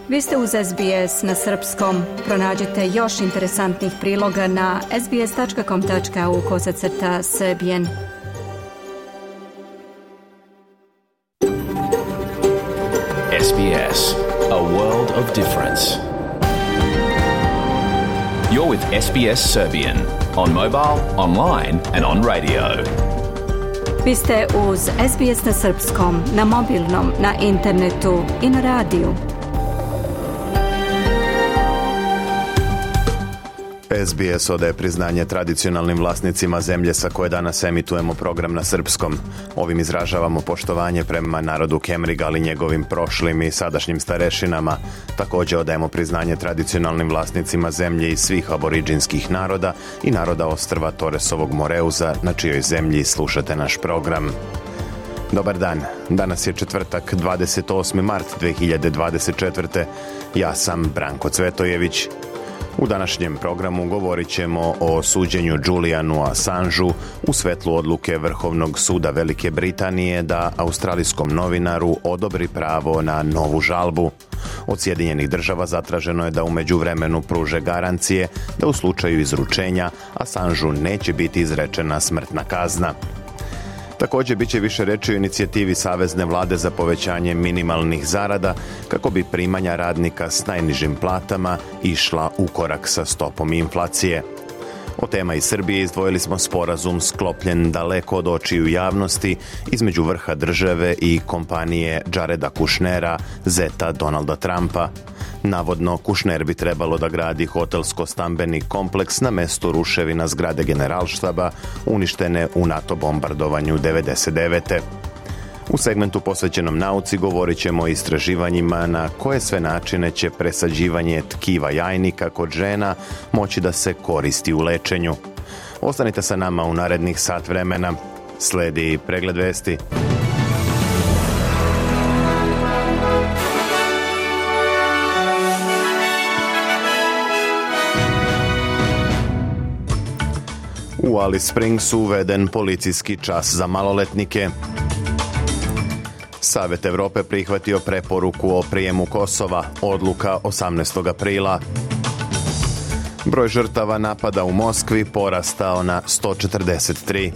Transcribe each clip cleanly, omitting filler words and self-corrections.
Vi ste uz SBS na srpskom. Pronađite još interesantnih priloga na sbs.com.au/serbian. SBS, a world of difference. You're with SBS Serbian on mobile, online and on radio. Vi ste uz SBS na srpskom, na mobilnom, na internetu i na radiju. SBS odaje priznanje tradicionalnim vlasnicima zemlje sa koje danas emitujemo program na srpskom. Ovim izražavamo poštovanje prema narodu Kemriga, ali njegovim prošlim i sadašnjim starešinama. Također odajemo priznanje tradicionalnim vlasnicima zemlje i svih aboriđinskih naroda i naroda ostrva Toresovog Moreuza, na čijoj zemlji slušate naš program. Dobar dan, danas je četvrtak, 28. mart 2024. Ja sam Branko Cvetojević. U današnjem programu govorit ćemo o suđenju Julianu Assangeu u svetlu odluke Vrhovnog suda Velike Britanije da australijskom novinaru odobri pravo na novu žalbu. Od Sjedinjenih Država zatraženo je da u međuvremenu pruže garancije da u slučaju izručenja Assangeu neće biti izrečena smrtna kazna. Također bit će više reći o inicijativi Savezne vlade za povećanje minimalnih zarada kako bi primanja radnika s najnižim platama išla u korak sa stopom inflacije. O tema iz Srbije izdvojili smo sporazum sklopljen daleko od očiju javnosti između vrha države i kompanije Jareda Kushnera, zeta Donalda Trumpa. Navodno, Kushner bi trebalo da gradi hotelsko-stambeni kompleks na mestu ruševina zgrade Generalštaba uništene u NATO bombardovanju 1999. U segmentu posvećenom nauci govorit ćemo o istraživanjima na koje sve načine će presađivanje tkiva jajnika kod žena moći da se koristi u lečenju. Ostanite sa nama u narednih sat vremena. Sledi pregled vesti. U Alice Springsu uveden policijski čas za maloletnike. Savet Evrope prihvatio preporuku o prijemu Kosova, odluka 18. aprila. Broj žrtava napada u Moskvi porastao na 143.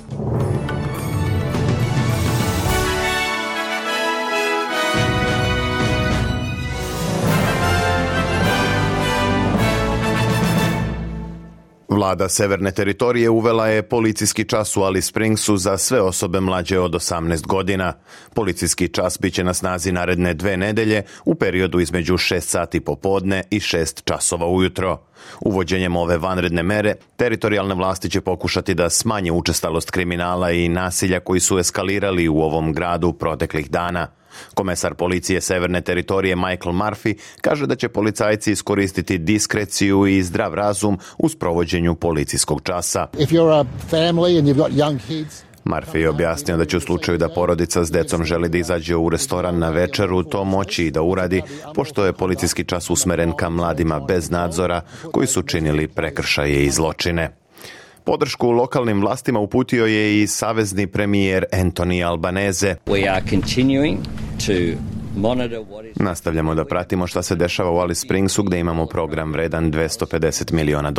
Vlada Severne teritorije uvela je policijski čas u Alice Springsu za sve osobe mlađe od 18 godina. Policijski čas bit će na snazi naredne 2 nedelje u periodu između 6 sati popodne i 6 časova ujutro. Uvođenjem ove vanredne mere, teritorijalne vlasti će pokušati da smanje učestalost kriminala i nasilja koji su eskalirali u ovom gradu proteklih dana. Komesar policije Severne teritorije Michael Murphy kaže da će policajci iskoristiti diskreciju i zdrav razum u sprovođenju policijskog časa. Murphy je objasnio da će u slučaju da porodica s decom želi da izađe u restoran na večeru to moći i da uradi, pošto je policijski čas usmeren ka mladima bez nadzora koji su činili prekršaje i zločine. Podršku lokalnim vlastima uputio je i savezni premijer Anthony Albanese. Nastavljamo da pratimo šta se dešava u Alice Springsu gdje imamo program vredan $250 miliona.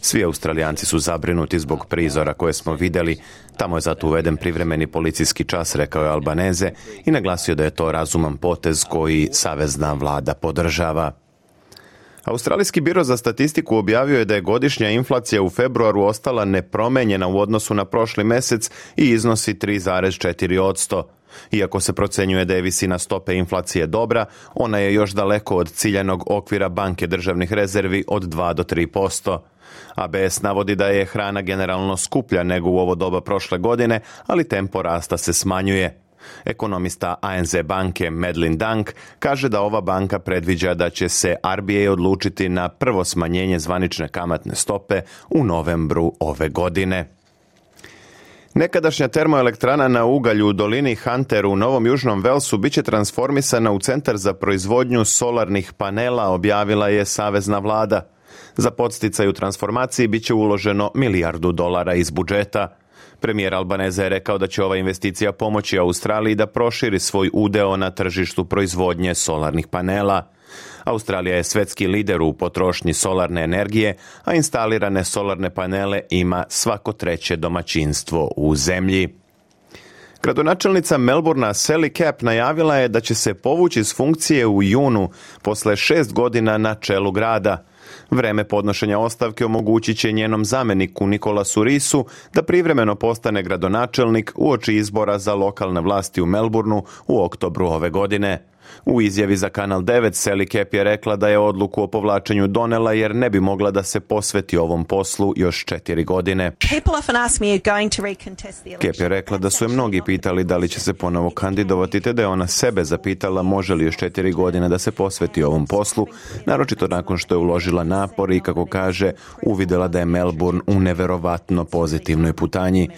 Svi Australijanci su zabrinuti zbog prizora koje smo vidjeli. Tamo je zato uveden privremeni policijski čas, rekao je Albanese i naglasio da je to razuman potez koji savezna vlada podržava. Australijski biro za statistiku objavio je da je godišnja inflacija u februaru ostala nepromenjena u odnosu na prošli mjesec i iznosi 3,4%. Iako se procenjuje da je visina stope inflacije dobra, ona je još daleko od ciljanog okvira Banke državnih rezervi od 2 do 3%. ABS navodi da je hrana generalno skuplja nego u ovo doba prošle godine, ali tempo rasta se smanjuje. Ekonomista ANZ banke Madeline Dunk kaže da ova banka predviđa da će se RBA odlučiti na prvo smanjenje zvanične kamatne stope u novembru ove godine. Nekadašnja termoelektrana na ugalj u dolini Hunter u Novom Južnom Velsu biće transformisana u centar za proizvodnju solarnih panela, objavila je savezna vlada. Za podsticaj u transformaciji biće uloženo $1 milijardu iz budžeta. Premijer Albaneza je rekao da će ova investicija pomoći Australiji da proširi svoj udeo na tržištu proizvodnje solarnih panela. Australija je svetski lider u potrošnji solarne energije, a instalirane solarne panele ima svako treće domaćinstvo u zemlji. Gradonačelnica Melbournea Sally Capp najavila je da će se povući s funkcije u junu posle 6 godina na čelu grada. Vreme podnošenja ostavke omogućit će njenom zameniku Nicolasu Risu da privremeno postane gradonačelnik uoči izbora za lokalne vlasti u Melbourneu u oktobru ove godine. U izjavi za Kanal 9 Sally Capp je rekla da je odluku o povlačenju donela jer ne bi mogla da se posveti ovom poslu još 4 godine. Capp je rekla da su je mnogi pitali da li će se ponovo kandidovati, te da je ona sebe zapitala može li još 4 godine da se posveti ovom poslu, naročito nakon što je uložila napor i, kako kaže, uvidela da je Melbourne u neverovatno pozitivnoj putanji.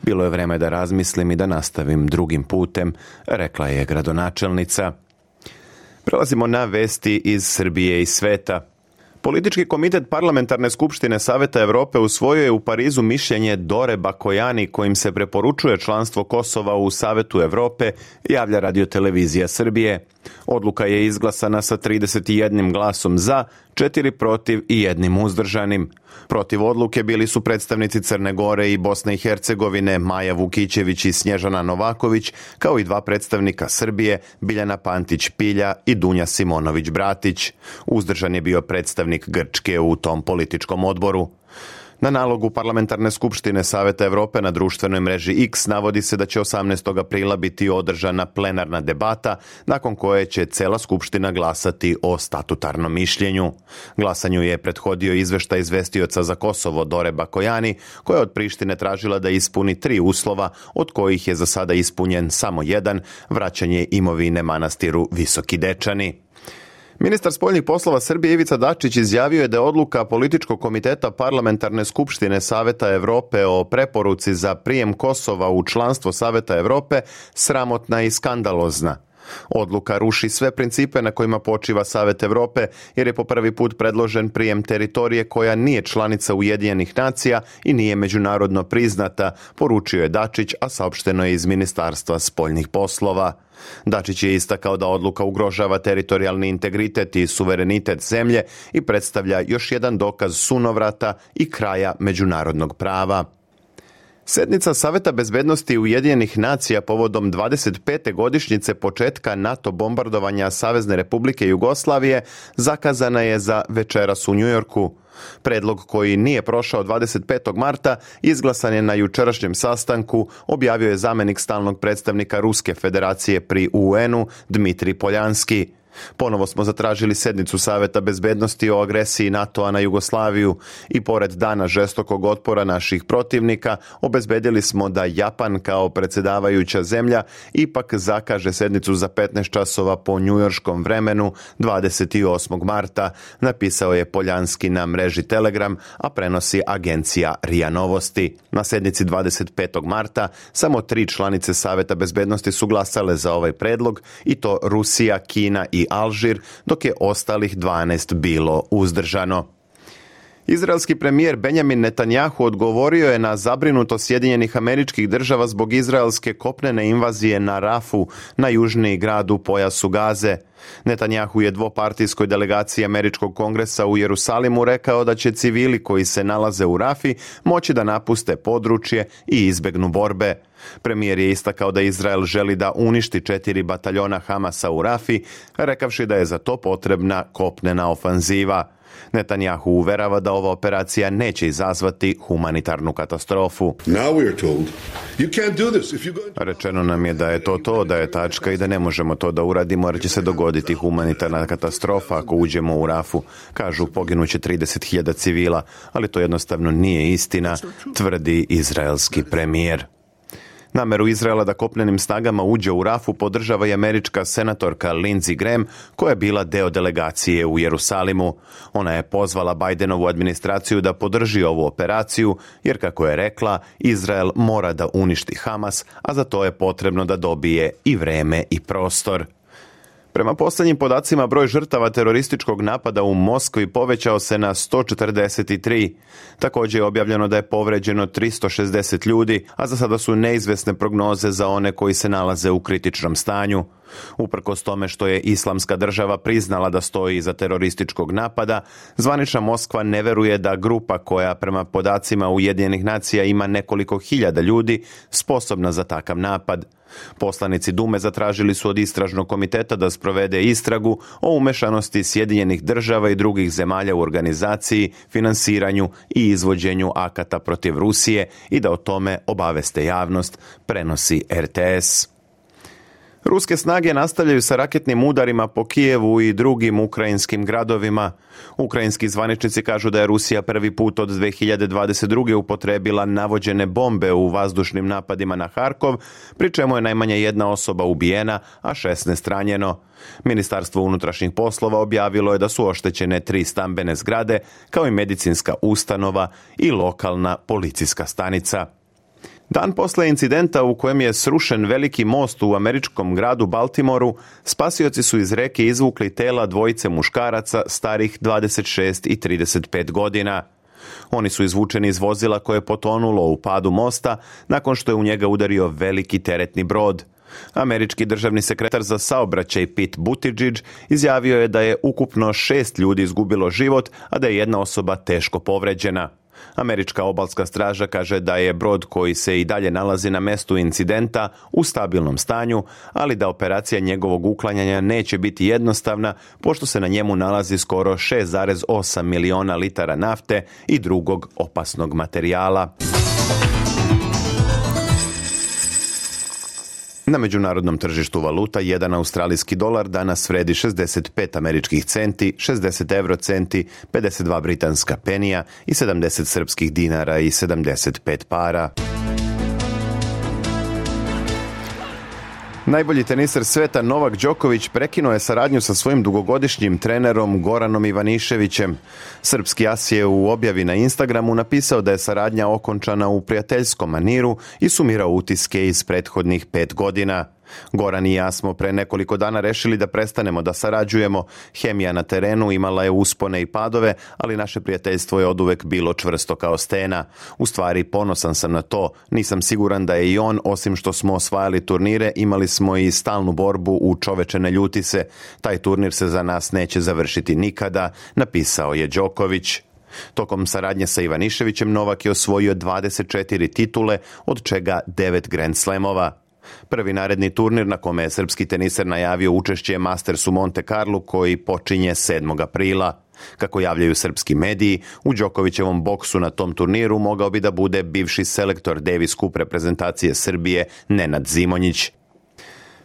Bilo je vreme da razmislim i da nastavim drugim putem, rekla je gradonačelnica. Prelazimo na vesti iz Srbije i sveta. Politički komitet Parlamentarne skupštine Saveta Evrope usvojio je u Parizu mišljenje Dore Bakojani kojim se preporučuje članstvo Kosova u Savetu Evrope, javlja Radio-televizija Srbije. Odluka je izglasana sa 31 glasom za, 4 protiv i 1 uzdržanim. Protiv odluke bili su predstavnici Crne Gore i Bosne i Hercegovine, Maja Vukićević i Snježana Novaković, kao i 2 predstavnika Srbije, Biljana Pantić-Pilja i Dunja Simonović-Bratić. Uzdržan je bio predstavnik Grčke u tom političkom odboru. Na nalogu Parlamentarne skupštine Saveta Evrope na društvenoj mreži X navodi se da će 18. aprila biti održana plenarna debata, nakon koje će cela skupština glasati o statutarnom mišljenju. Glasanju je prethodio izveštaj izvestioca za Kosovo Dore Bakojani, koja je od Prištine tražila da ispuni 3 uslova, od kojih je za sada ispunjen samo jedan, vraćanje imovine manastiru Visoki Dečani. Ministar spoljnih poslova Srbije Ivica Dačić izjavio je da je odluka političkog komiteta Parlamentarne skupštine Saveta Evrope o preporuci za prijem Kosova u članstvo Saveta Evrope sramotna i skandalozna. Odluka ruši sve principe na kojima počiva Savet Evrope, jer je po prvi put predložen prijem teritorije koja nije članica Ujedinjenih nacija i nije međunarodno priznata, poručio je Dačić, a saopšteno je iz Ministarstva spoljnih poslova. Dačić je istakao da odluka ugrožava teritorijalni integritet i suverenitet zemlje i predstavlja još jedan dokaz sunovrata i kraja međunarodnog prava. Sednica Saveta bezbednosti Ujedinjenih nacija povodom 25. godišnjice početka NATO bombardovanja Savezne Republike Jugoslavije zakazana je za večeras u Njujorku. Predlog koji nije prošao 25. marta izglasan je na jučerašnjem sastanku, objavio je zamenik stalnog predstavnika Ruske federacije pri UN-u Dmitrij Poljanski. Ponovo smo zatražili sednicu Saveta bezbednosti o agresiji NATO-a na Jugoslaviju i pored dana žestokog otpora naših protivnika obezbedili smo da Japan kao predsjedavajuća zemlja ipak zakaže sednicu za 15 časova po njujorškom vremenu 28. marta, napisao je Poljanski na mreži Telegram, a prenosi agencija RIA Novosti. Na sednici 25. marta samo 3 članice Saveta bezbednosti su glasale za ovaj predlog, i to Rusija, Kina i Alžir, dok je ostalih 12 bilo uzdržano. Izraelski premijer Benjamin Netanjahu odgovorio je na zabrinutost Sjedinjenih Američkih Država zbog izraelske kopnene invazije na Rafu, na južniji grad u pojasu Gaze. Netanjahu je dvopartijskoj delegaciji Američkog kongresa u Jerusalimu rekao da će civili koji se nalaze u Rafi moći da napuste područje i izbegnu borbe. Premijer je istakao da Izrael želi da uništi 4 bataljona Hamasa u Rafi, rekavši da je za to potrebna kopnena ofanziva. Netanjahu uverava da ova operacija neće izazvati humanitarnu katastrofu. Rečeno nam je da je to, da je tačka i da ne možemo to da uradimo jer će se dogoditi humanitarna katastrofa ako uđemo u Rafu. Kažu poginuće 30.000 civila, ali to jednostavno nije istina, tvrdi izraelski premijer. Nameru Izraela da kopnenim snagama uđe u Rafu podržava i američka senatorka Lindsey Graham, koja je bila deo delegacije u Jerusalimu. Ona je pozvala Bidenovu administraciju da podrži ovu operaciju, jer kako je rekla, Izrael mora da uništi Hamas, a za to je potrebno da dobije i vreme i prostor. Prema posljednjim podacima, broj žrtava terorističkog napada u Moskvi povećao se na 143. Također je objavljeno da je povređeno 360 ljudi, a za sada su neizvjesne prognoze za one koji se nalaze u kritičnom stanju. Uprkos tome što je Islamska država priznala da stoji iza terorističkog napada, zvanična Moskva ne veruje da grupa koja prema podacima Ujedinjenih nacija ima nekoliko hiljada ljudi sposobna za takav napad. Poslanici Dume zatražili su od istražnog komiteta da sprovede istragu o umešanosti Sjedinjenih država i drugih zemalja u organizaciji, finansiranju i izvođenju akata protiv Rusije i da o tome obaveste javnost, prenosi RTS. Ruske snage nastavljaju sa raketnim udarima po Kijevu i drugim ukrajinskim gradovima. Ukrajinski zvaničnici kažu da je Rusija prvi put od 2022. upotrijebila navođene bombe u vazdušnim napadima na Harkov, pri čemu je najmanje jedna osoba ubijena, a 16 ranjeno. Ministarstvo unutrašnjih poslova objavilo je da su oštećene 3 stambene zgrade, kao i medicinska ustanova i lokalna policijska stanica. Dan posle incidenta u kojem je srušen veliki most u američkom gradu Baltimoru, spasioci su iz reke izvukli tela dvojice muškaraca starih 26 i 35 godina. Oni su izvučeni iz vozila koje je potonulo u padu mosta nakon što je u njega udario veliki teretni brod. Američki državni sekretar za saobraćaj Pete Buttigieg izjavio je da je ukupno 6 ljudi izgubilo život, a da je jedna osoba teško povređena. Američka obalska straža kaže da je brod koji se i dalje nalazi na mestu incidenta u stabilnom stanju, ali da operacija njegovog uklanjanja neće biti jednostavna, pošto se na njemu nalazi skoro 6,8 miliona litara nafte i drugog opasnog materijala. Na međunarodnom tržištu valuta, jedan australijski dolar danas vredi 65 američkih centi, 60 eurocenti, 52 britanska penija i 70 srpskih dinara i 75 para. Najbolji teniser sveta Novak Đoković prekinuo je saradnju sa svojim dugogodišnjim trenerom Goranom Ivaniševićem. Srpski as je u objavi na Instagramu napisao da je saradnja okončana u prijateljskom maniru i sumirao utiske iz prethodnih 5 godina. Goran i ja smo pre nekoliko dana rešili da prestanemo da sarađujemo. Hemija na terenu imala je uspone i padove, ali naše prijateljstvo je oduvek bilo čvrsto kao stena. U stvari, ponosan sam na to. Nisam siguran da je i on, osim što smo osvajali turnire, imali smo i stalnu borbu u čoveče ne ljuti se. Taj turnir se za nas neće završiti nikada, napisao je Đoković. Tokom saradnje sa Ivaniševićem Novak je osvojio 24 titule, od čega 9 Grand Slamova. Prvi naredni turnir na kome je srpski teniser najavio učešće je Masters u Monte Carlu koji počinje 7. aprila. Kako javljaju srpski mediji, u Đokovićevom boksu na tom turniru mogao bi da bude bivši selektor Davis Cup reprezentacije Srbije Nenad Zimonjić.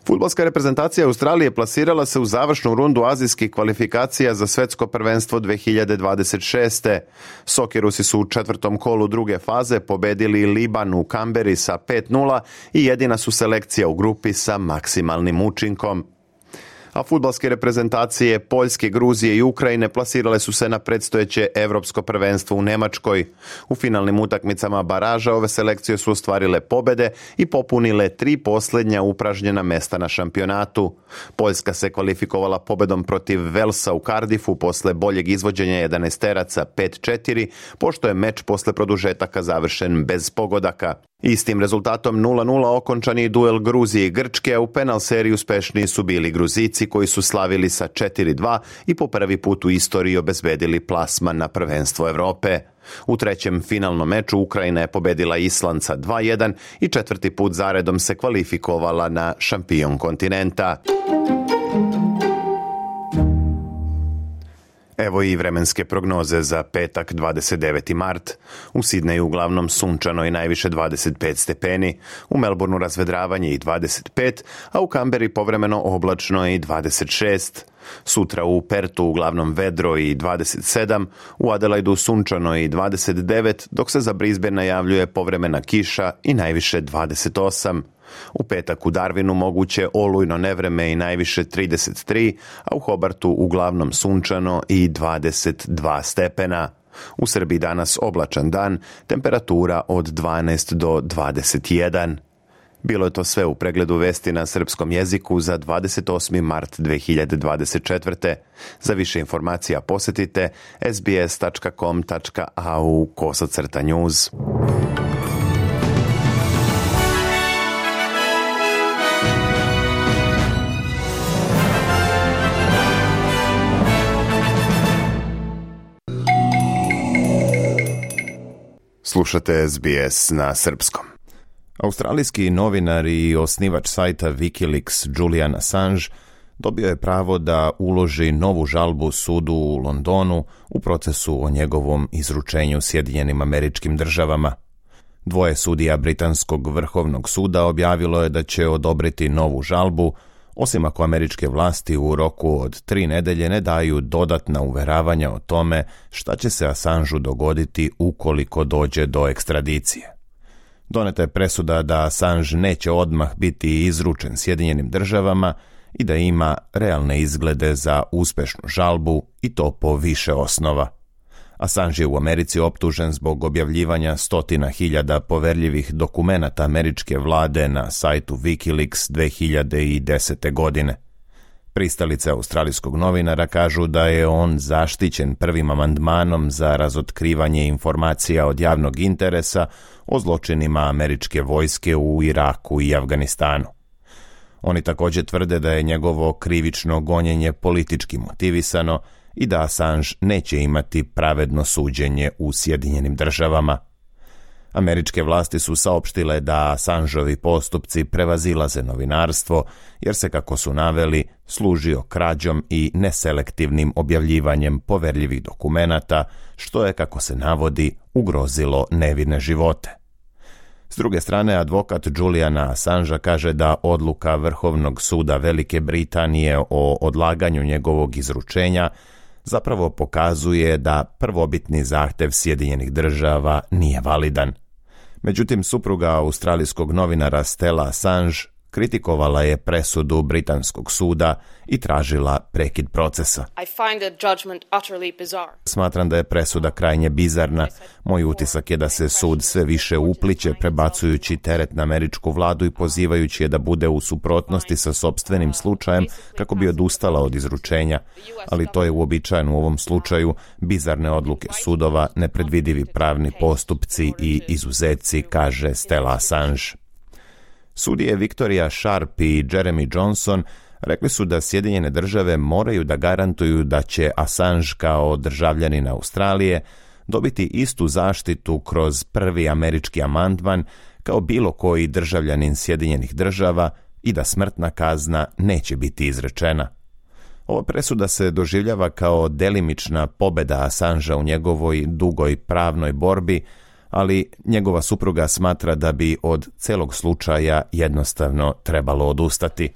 Fudbalska reprezentacija Australije plasirala se u završnu rundu azijskih kvalifikacija za svetsko prvenstvo 2026. Sokerusi su u 4. kolu druge faze pobedili Liban u Kamberi sa 5:0 i jedina su selekcija u grupi sa maksimalnim učinkom. A fudbalske reprezentacije Poljske, Gruzije i Ukrajine plasirale su se na predstojeće evropsko prvenstvo u Nemačkoj. U finalnim utakmicama baraža ove selekcije su ostvarile pobede i popunile 3 posljednja upražnjena mesta na šampionatu. Poljska se kvalifikovala pobedom protiv Velsa u Cardiffu posle boljeg izvođenja 11-teraca 5:4, pošto je meč posle produžetaka završen bez pogodaka. Istim rezultatom 0:0 okončani duel Gruzije i Grčke, a u penal seriji uspešniji su bili Gruzici koji su slavili sa 4:2 i po prvi put u istoriji obezbedili plasman na prvenstvo Evrope. U trećem finalnom meču Ukrajina je pobedila Island sa 2:1 i 4. put zaredom se kvalifikovala na šampion kontinenta. Evo i vremenske prognoze za petak 29. mart. U Sidneju uglavnom sunčano i najviše 25 stepeni, u Melbourneu razvedravanje i 25, a u Kamberi povremeno oblačno i 26. Sutra u Pertu uglavnom vedro i 27, u Adelaidu sunčano i 29, dok se za Brisbane najavljuje povremena kiša i najviše 28. U petak u Darwinu moguće olujno nevreme i najviše 33, a u Hobartu uglavnom sunčano i 22 stepena. U Srbiji danas oblačan dan, temperatura od 12 do 21. Bilo je to sve u pregledu vesti na srpskom jeziku za 28. mart 2024. Za više informacija posjetite sbs.com.au/news. Slušate SBS na srpskom. Australijski novinar i osnivač sajta Wikileaks Julian Assange dobio je pravo da uloži novu žalbu sudu u Londonu u procesu o njegovom izručenju Sjedinjenim Američkim Državama. Dvoje sudija Britanskog vrhovnog suda objavilo je da će odobriti novu žalbu, osim ako američke vlasti u roku od 3 nedelje ne daju dodatna uveravanja o tome šta će se Assangeu dogoditi ukoliko dođe do ekstradicije. Doneta je presuda da Assange neće odmah biti izručen Sjedinjenim Državama i da ima realne izglede za uspešnu žalbu i to po više osnova. Assange je u Americi optužen zbog objavljivanja 100.000 poverljivih dokumenata američke vlade na sajtu Wikileaks 2010. godine. Pristalice australijskog novinara kažu da je on zaštićen prvim amandmanom za razotkrivanje informacija od javnog interesa o zločinima američke vojske u Iraku i Afganistanu. Oni također tvrde da je njegovo krivično gonjenje politički motivisano i da Assange neće imati pravedno suđenje u Sjedinjenim Državama. Američke vlasti su saopštile da Assangeovi postupci prevazilaze novinarstvo, jer se, kako su naveli, služio krađom i neselektivnim objavljivanjem poverljivih dokumenata, što je, kako se navodi, ugrozilo nevine živote. S druge strane, advokat Juliana Assangea kaže da odluka Vrhovnog suda Velike Britanije o odlaganju njegovog izručenja zapravo pokazuje da prvobitni zahtev Sjedinjenih Država nije validan. Međutim, supruga australijskog novinara Stella Assange kritikovala je presudu britanskog suda i tražila prekid procesa. Smatram da je presuda krajnje bizarna. Moj utisak je da se sud sve više upliće, prebacujući teret na američku vladu i pozivajući je da bude u suprotnosti sa sopstvenim slučajem kako bi odustala od izručenja. Ali to je uobičajeno u ovom slučaju, bizarne odluke sudova, nepredvidivi pravni postupci i izuzeci, kaže Stella Assange. Sudije Victoria Sharp i Jeremy Johnson rekli su da Sjedinjene Države moraju da garantuju da će Assange kao državljanin Australije dobiti istu zaštitu kroz prvi američki amandman kao bilo koji državljanin Sjedinjenih Država i da smrtna kazna neće biti izrečena. Ova presuda se doživljava kao delimična pobjeda Assangea u njegovoj dugoj pravnoj borbi, ali njegova supruga smatra da bi od celog slučaja jednostavno trebalo odustati.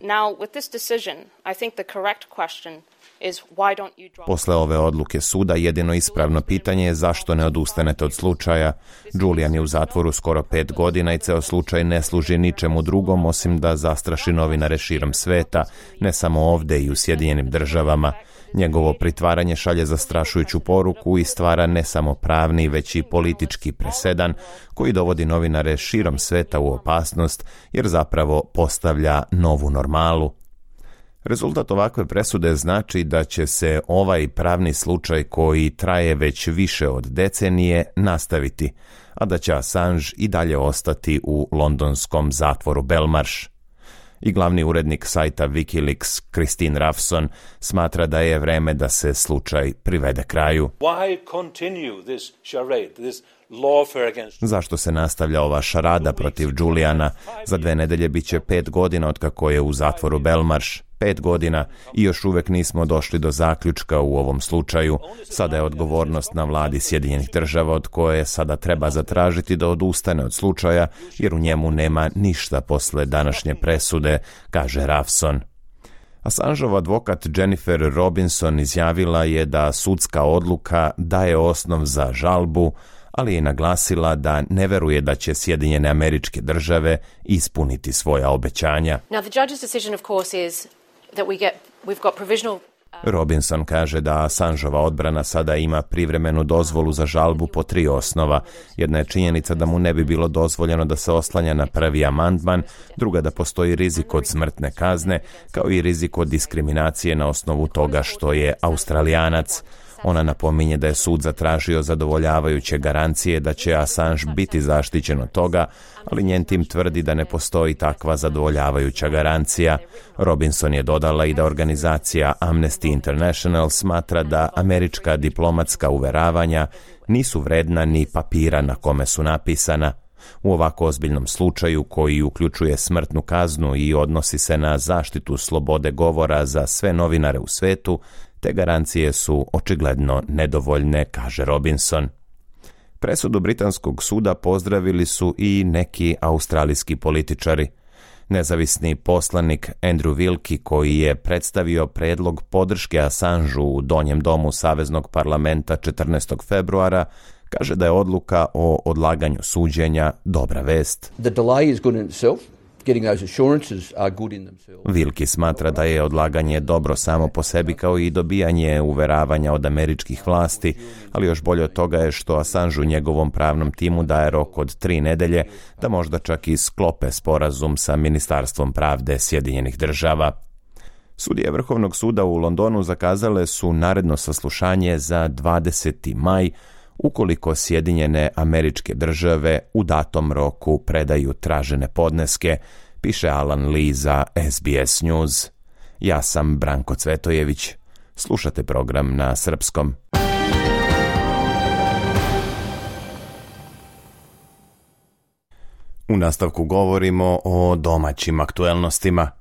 Posle ove odluke suda jedino ispravno pitanje je zašto ne odustanete od slučaja. Julian je u zatvoru skoro 5 godina i ceo slučaj ne služi ničemu drugom osim da zastraši novinare širom sveta, ne samo ovde i u Sjedinjenim Državama. Njegovo pritvaranje šalje zastrašujuću poruku i stvara ne samo pravni, već i politički presedan koji dovodi novinare širom sveta u opasnost jer zapravo postavlja novu normalu. Rezultat ovakve presude znači da će se ovaj pravni slučaj koji traje već više od decenije nastaviti, a da će Assange i dalje ostati u londonskom zatvoru Belmarsh. I glavni urednik sajta Wikileaks, Christine Ravson, smatra da je vreme da se slučaj privede kraju. Zašto se nastavlja ova šarada protiv Juliana? Za 2 nedelje bit će 5 godina od kako je u zatvoru Belmarsh. 5 godina i još uvek nismo došli do zaključka u ovom slučaju. Sada je odgovornost na vladi Sjedinjenih Država od koje sada treba zatražiti da odustane od slučaja jer u njemu nema ništa posle današnje presude, kaže Ravson. Assangeov advokat Jennifer Robinson izjavila je da sudska odluka daje osnov za žalbu, ali je naglasila da ne veruje da će Sjedinjene Američke Države ispuniti svoja obećanja. Now the judge's decision of course is that we've got provisional Robinson kaže da Assangeova odbrana sada ima privremenu dozvolu za žalbu po 3 osnova. Jedna je činjenica da mu ne bi bilo dozvoljeno da se oslanja na prvi amandman, druga da postoji rizik od smrtne kazne, kao i rizik od diskriminacije na osnovu toga što je Australijanac. Ona napominje da je sud zatražio zadovoljavajuće garancije da će Assange biti zaštićen od toga, ali njen tim tvrdi da ne postoji takva zadovoljavajuća garancija. Robinson je dodala i da organizacija Amnesty International smatra da američka diplomatska uveravanja nisu vredna ni papira na kome su napisana. U ovako ozbiljnom slučaju, koji uključuje smrtnu kaznu i odnosi se na zaštitu slobode govora za sve novinare u svetu, te garancije su očigledno nedovoljne, kaže Robinson. Presudu britanskog suda pozdravili su i neki australijski političari. Nezavisni poslanik Andrew Wilkie, koji je predstavio predlog podrške Assangeu u Donjem domu Saveznog parlamenta 14. februara, kaže da je odluka o odlaganju suđenja dobra vest. The delay is good in itself. Getting those assurances are good in themselves. Wilkie smatra da je odlaganje dobro samo po sebi, kao i dobijanje uveravanja od američkih vlasti, ali još bolje od toga je što Assangeu njegovom pravnom timu daje rok od 3 nedelje da možda čak i sklope sporazum sa Ministarstvom pravde Sjedinjenih država. Sudije Vrhovnog suda u Londonu zakazale su naredno saslušanje za 20. maj, ukoliko Sjedinjene Američke Države u datom roku predaju tražene podneske, piše Alan Lee za SBS News. Ja sam Branko Cvetojević. Slušate program na srpskom. U nastavku govorimo o domaćim aktuelnostima.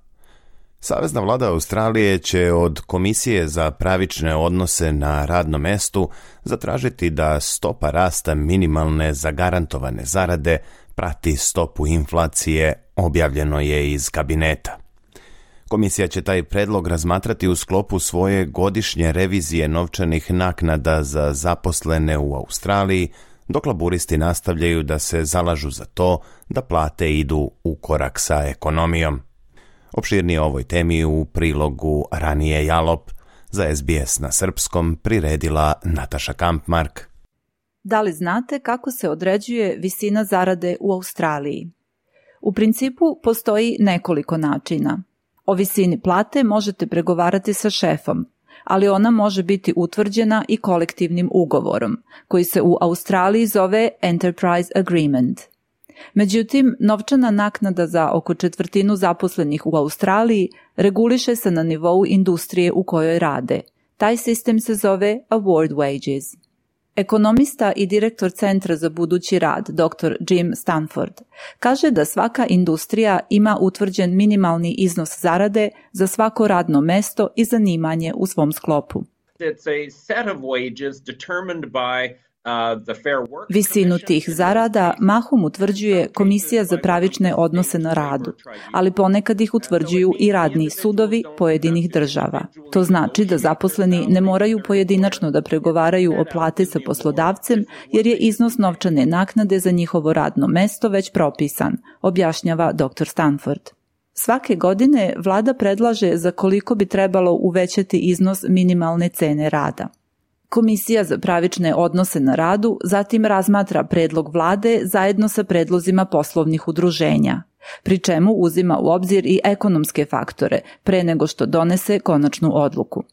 Savezna vlada Australije će od Komisije za pravične odnose na radnom mestu zatražiti da stopa rasta minimalne zagarantovane zarade prati stopu inflacije, objavljeno je iz kabineta. Komisija će taj predlog razmatrati u sklopu svoje godišnje revizije novčanih naknada za zaposlene u Australiji, dok laburisti nastavljaju da se zalažu za to da plate idu u korak sa ekonomijom. Opširnije o ovoj temi u prilogu Ranije Jalop, za SBS na srpskom priredila Nataša Kampmark. Da li znate kako se određuje visina zarade u Australiji? U principu postoji nekoliko načina. O visini plate možete pregovarati sa šefom, ali ona može biti utvrđena i kolektivnim ugovorom, koji se u Australiji zove Enterprise Agreement. Međutim, novčana naknada za oko 1/4 zaposlenih u Australiji reguliše se na nivou industrije u kojoj rade. Taj sistem se zove Award Wages. Ekonomista i direktor Centra za budući rad, dr. Jim Stanford, kaže da svaka industrija ima utvrđen minimalni iznos zarade za svako radno mesto i zanimanje u svom sklopu. It's a set of wages determined by Visinu tih zarada mahom utvrđuje Komisija za pravične odnose na radu, ali ponekad ih utvrđuju i radni sudovi pojedinih država. To znači da zaposleni ne moraju pojedinačno da pregovaraju o plati sa poslodavcem, jer je iznos novčane naknade za njihovo radno mesto već propisan, objašnjava dr. Stanford. Svake godine vlada predlaže za koliko bi trebalo uvećati iznos minimalne cene rada. Komisija za pravične odnose na radu zatim razmatra predlog vlade zajedno sa predlozima poslovnih udruženja, pri čemu uzima u obzir i ekonomske faktore pre nego što donese konačnu odluku.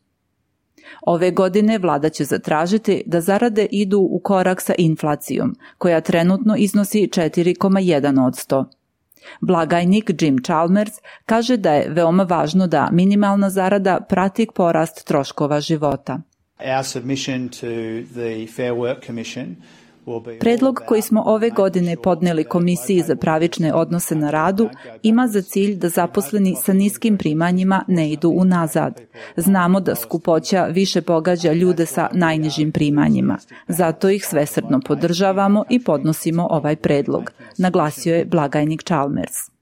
Ove godine vlada će zatražiti da zarade idu u korak sa inflacijom, koja trenutno iznosi 4,1%. Blagajnik Jim Chalmers kaže da je veoma važno da minimalna zarada prati porast troškova života. Predlog koji smo ove godine podneli Komisiji za pravične odnose na radu ima za cilj da zaposleni sa niskim primanjima ne idu unazad. Znamo da skupoća više pogađa ljude sa najnižim primanjima. Zato ih svesrdno podržavamo i podnosimo ovaj predlog, naglasio je blagajnik Chalmers.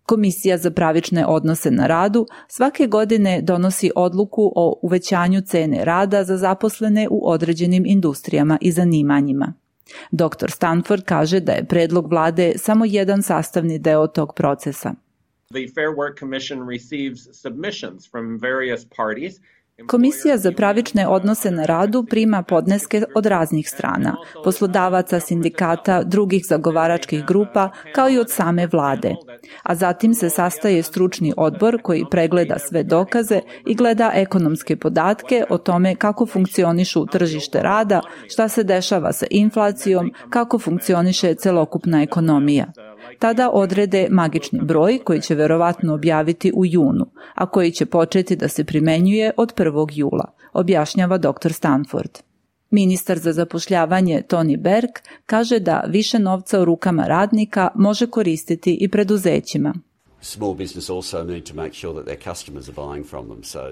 Komisija za pravične odnose na radu svake godine donosi odluku o uvećanju cene rada za zaposlene u određenim industrijama i zanimanjima. Dr. Stanford kaže da je predlog vlade samo jedan sastavni deo tog procesa. The Fair Work Commission receives submissions from various parties Komisija za pravične odnose na radu prima podneske od raznih strana, poslodavaca, sindikata, drugih zagovaračkih grupa, kao i od same vlade. A zatim se sastaje stručni odbor koji pregleda sve dokaze i gleda ekonomske podatke o tome kako funkcionišu tržište rada, šta se dešava sa inflacijom, kako funkcioniše celokupna ekonomija. Tada odrede magični broj koji će verovatno objaviti u junu, a koji će početi da se primenjuje od 1. jula, objašnjava dr. Stanford. Ministar za zapošljavanje Tony Berg kaže da više novca u rukama radnika može koristiti i preduzećima.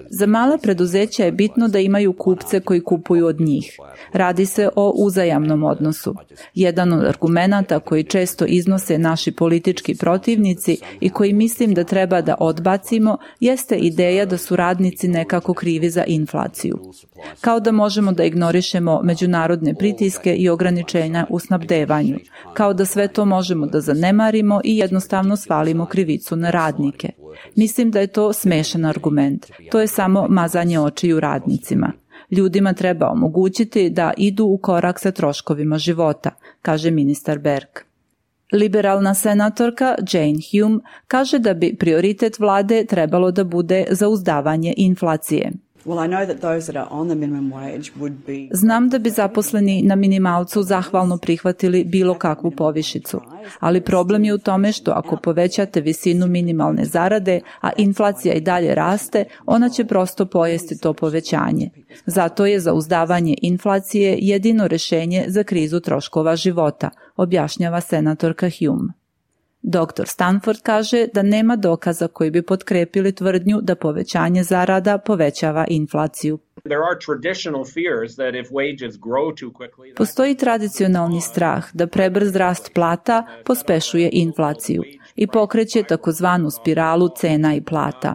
Za mala preduzeća je bitno da imaju kupce koji kupuju od njih. Radi se o uzajamnom odnosu. Jedan od argumenata koji često iznose naši politički protivnici i koji mislim da treba da odbacimo jeste ideja da su radnici nekako krivi za inflaciju. Kao da možemo da ignorišemo međunarodne pritiske i ograničenja u snabdevanju. Kao da sve to možemo da zanemarimo i jednostavno svalimo krivicu na radnike. Mislim da je to smešan argument. To je samo mazanje očiju radnicima. Ljudima treba omogućiti da idu u korak sa troškovima života, kaže ministar Berg. Liberalna senatorka Jane Hume kaže da bi prioritet vlade trebalo da bude zauzdavanje inflacije. Znam da bi zaposleni na minimalcu zahvalno prihvatili bilo kakvu povišicu, ali problem je u tome što ako povećate visinu minimalne zarade, a inflacija i dalje raste, ona će prosto pojesti to povećanje. Zato je zauzdavanje inflacije jedino rešenje za krizu troškova života, objašnjava senatorka Hume. Dr. Stanford kaže da nema dokaza koji bi potkrepili tvrdnju da povećanje zarada povećava inflaciju. Postoji tradicionalni strah da prebrz rast plata pospešuje inflaciju i pokreće takozvanu spiralu cena i plata.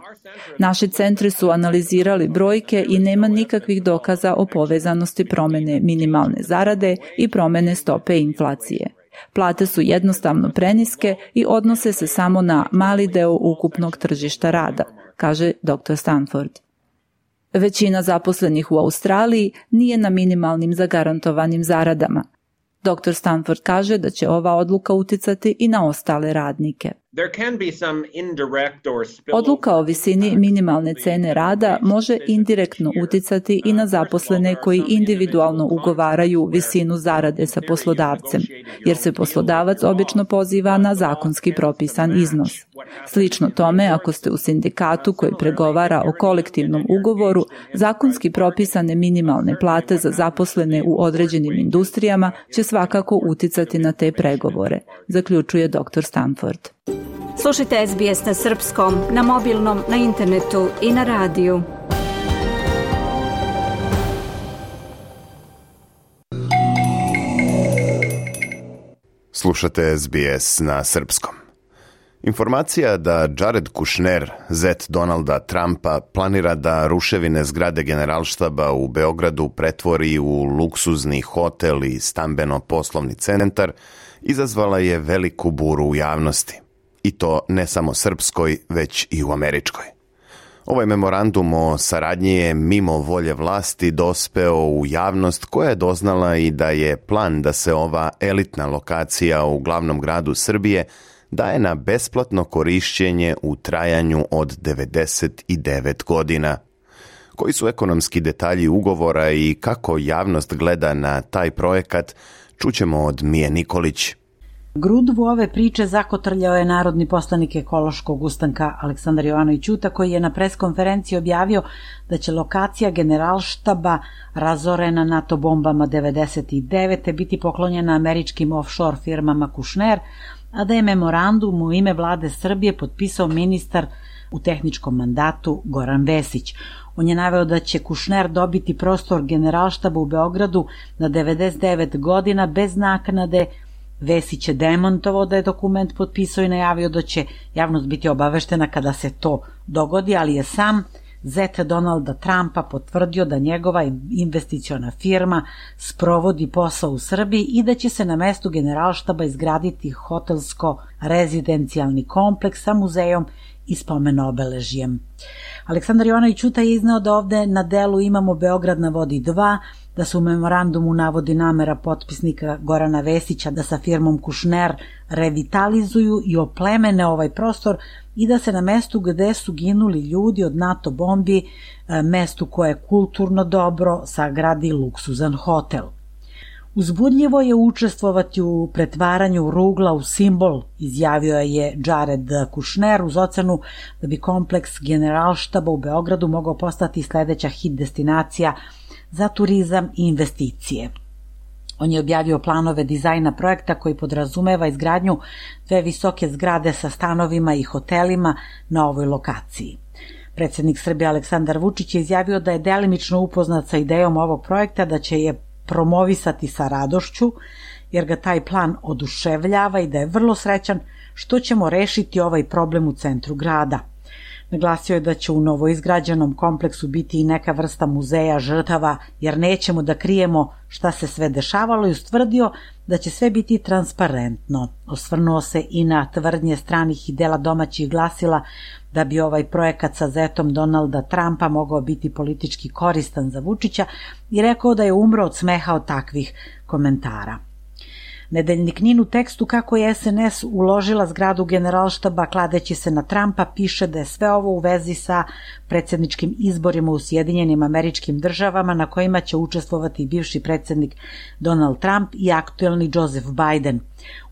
Naši centri su analizirali brojke i nema nikakvih dokaza o povezanosti promene minimalne zarade i promene stope inflacije. Plate su jednostavno preniske i odnose se samo na mali deo ukupnog tržišta rada, kaže dr. Stanford. Većina zaposlenih u Australiji nije na minimalnim zagarantovanim zaradama. Dr. Stanford kaže da će ova odluka uticati i na ostale radnike. Odluka o visini minimalne cene rada može indirektno uticati i na zaposlene koji individualno ugovaraju visinu zarade sa poslodavcem, jer se poslodavac obično poziva na zakonski propisan iznos. Slično tome, ako ste u sindikatu koji pregovara o kolektivnom ugovoru, zakonski propisane minimalne plate za zaposlene u određenim industrijama će svakako uticati na te pregovore, zaključuje dr. Stanford. Slušajte SBS na srpskom, na mobilnom, na internetu i na radiju. Slušate SBS na srpskom. Informacija da Jared Kushner, zet Donalda Trumpa, planira da ruševine zgrade Generalštaba u Beogradu pretvori u luksuzni hotel i stambeno-poslovni centar, izazvala je veliku buru u javnosti. I to ne samo srpskoj, već i u američkoj. Ovaj memorandum o saradnji je mimo volje vlasti dospeo u javnost koja je doznala i da je plan da se ova elitna lokacija u glavnom gradu Srbije daje na besplatno korišćenje u trajanju od 99 godina. Koji su ekonomski detalji ugovora i kako javnost gleda na taj projekat, čućemo od Mije Nikolić. Grudvu ove priče zakotrljao je narodni poslanik ekološkog ustanka Aleksandar Jovanović Ćuta, koji je na preskonferenciji objavio da će lokacija Generalštaba razorena NATO bombama 99. biti poklonjena američkim offshore firmama Kushner, a da je memorandum u ime vlade Srbije potpisao ministar u tehničkom mandatu Goran Vesić. On je naveo da će Kushner dobiti prostor Generalštaba u Beogradu na 99 godina bez naknade. Vesić je demantovao da je dokument potpisao i najavio da će javnost biti obaveštena kada se to dogodi, ali je sam zet Donalda Trumpa potvrdio da njegova investiciona firma sprovodi posao u Srbiji i da će se na mestu Generalštaba izgraditi hotelsko-rezidencijalni kompleks sa muzejom i spomen-obeležjem. Aleksandar Jovanović Ćuta je izneo da ovde na delu imamo Beograd na vodi 2, da se u memorandumu navodi namera potpisnika Gorana Vesića da sa firmom Kušner revitalizuju i oplemene ovaj prostor i da se na mestu gde su ginuli ljudi od NATO bombi, mestu koje je kulturno dobro, sagradi luksuzan hotel. Uzbudljivo je učestvovati u pretvaranju rugla u simbol, izjavio je Jared Kušner uz ocenu da bi kompleks Generalštaba u Beogradu mogao postati sledeća hit destinacija za turizam i investicije. On je objavio planove dizajna projekta koji podrazumeva izgradnju 2 visoke zgrade sa stanovima i hotelima na ovoj lokaciji. Predsjednik Srbije Aleksandar Vučić je izjavio da je delimično upoznat sa idejom ovog projekta, da će je promovisati sa radošću, jer ga taj plan oduševljava i da je vrlo srećan što ćemo rešiti ovaj problem u centru grada. Naglasio je da će u novoizgrađenom kompleksu biti i neka vrsta muzeja žrtava, jer nećemo da krijemo šta se sve dešavalo, i ustvrdio da će sve biti transparentno. Osvrnuo se i na tvrdnje stranih i dela domaćih glasila da bi ovaj projekat sa zetom Donalda Trumpa mogao biti politički koristan za Vučića i rekao da je umro od smeha od takvih komentara. Nedeljnik NIN u tekstu kako je SNS uložila zgradu Generalštaba kladeći se na Trumpa piše da je sve ovo u vezi sa predsjedničkim izborima u Sjedinjenim Američkim Državama na kojima će učestvovati bivši predsjednik Donald Trump i aktuelni Joseph Biden.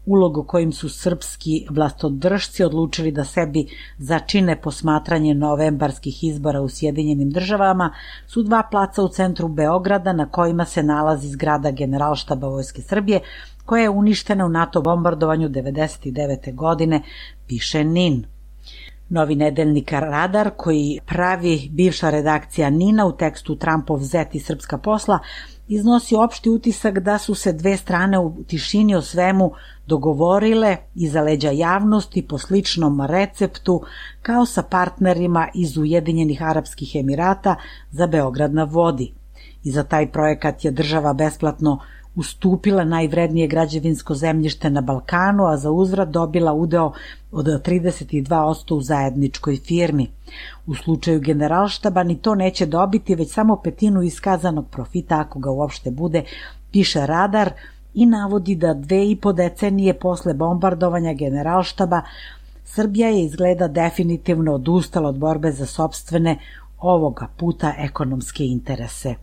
Ulog kojim su srpski vlastodržci odlučili da sebi začine posmatranje novembarskih izbora u Sjedinjenim Državama su 2 placa u centru Beograda na kojima se nalazi zgrada Generalštaba Vojske Srbije, koja je uništena u NATO bombardovanju 1999. godine, piše NIN. Novi nedeljnik Radar, koji pravi bivša redakcija NIN-a u tekstu Trumpov zet i srpska posla, iznosi opšti utisak da su se 2 strane u tišini o svemu dogovorile iza leđa javnosti po sličnom receptu kao sa partnerima iz Ujedinjenih Arapskih Emirata za Beograd na vodi. I za taj projekat je država besplatno ustupila najvrednije građevinsko zemljište na Balkanu, a za uzvrat dobila udeo od 32% u zajedničkoj firmi. U slučaju Generalštaba ni to neće dobiti, već samo 1/5 iskazanog profita, ako ga uopšte bude, piše Radar, i navodi da 2,5 decenije posle bombardovanja Generalštaba Srbija je izgleda definitivno odustala od borbe za sopstvene, ovoga puta ekonomske interese.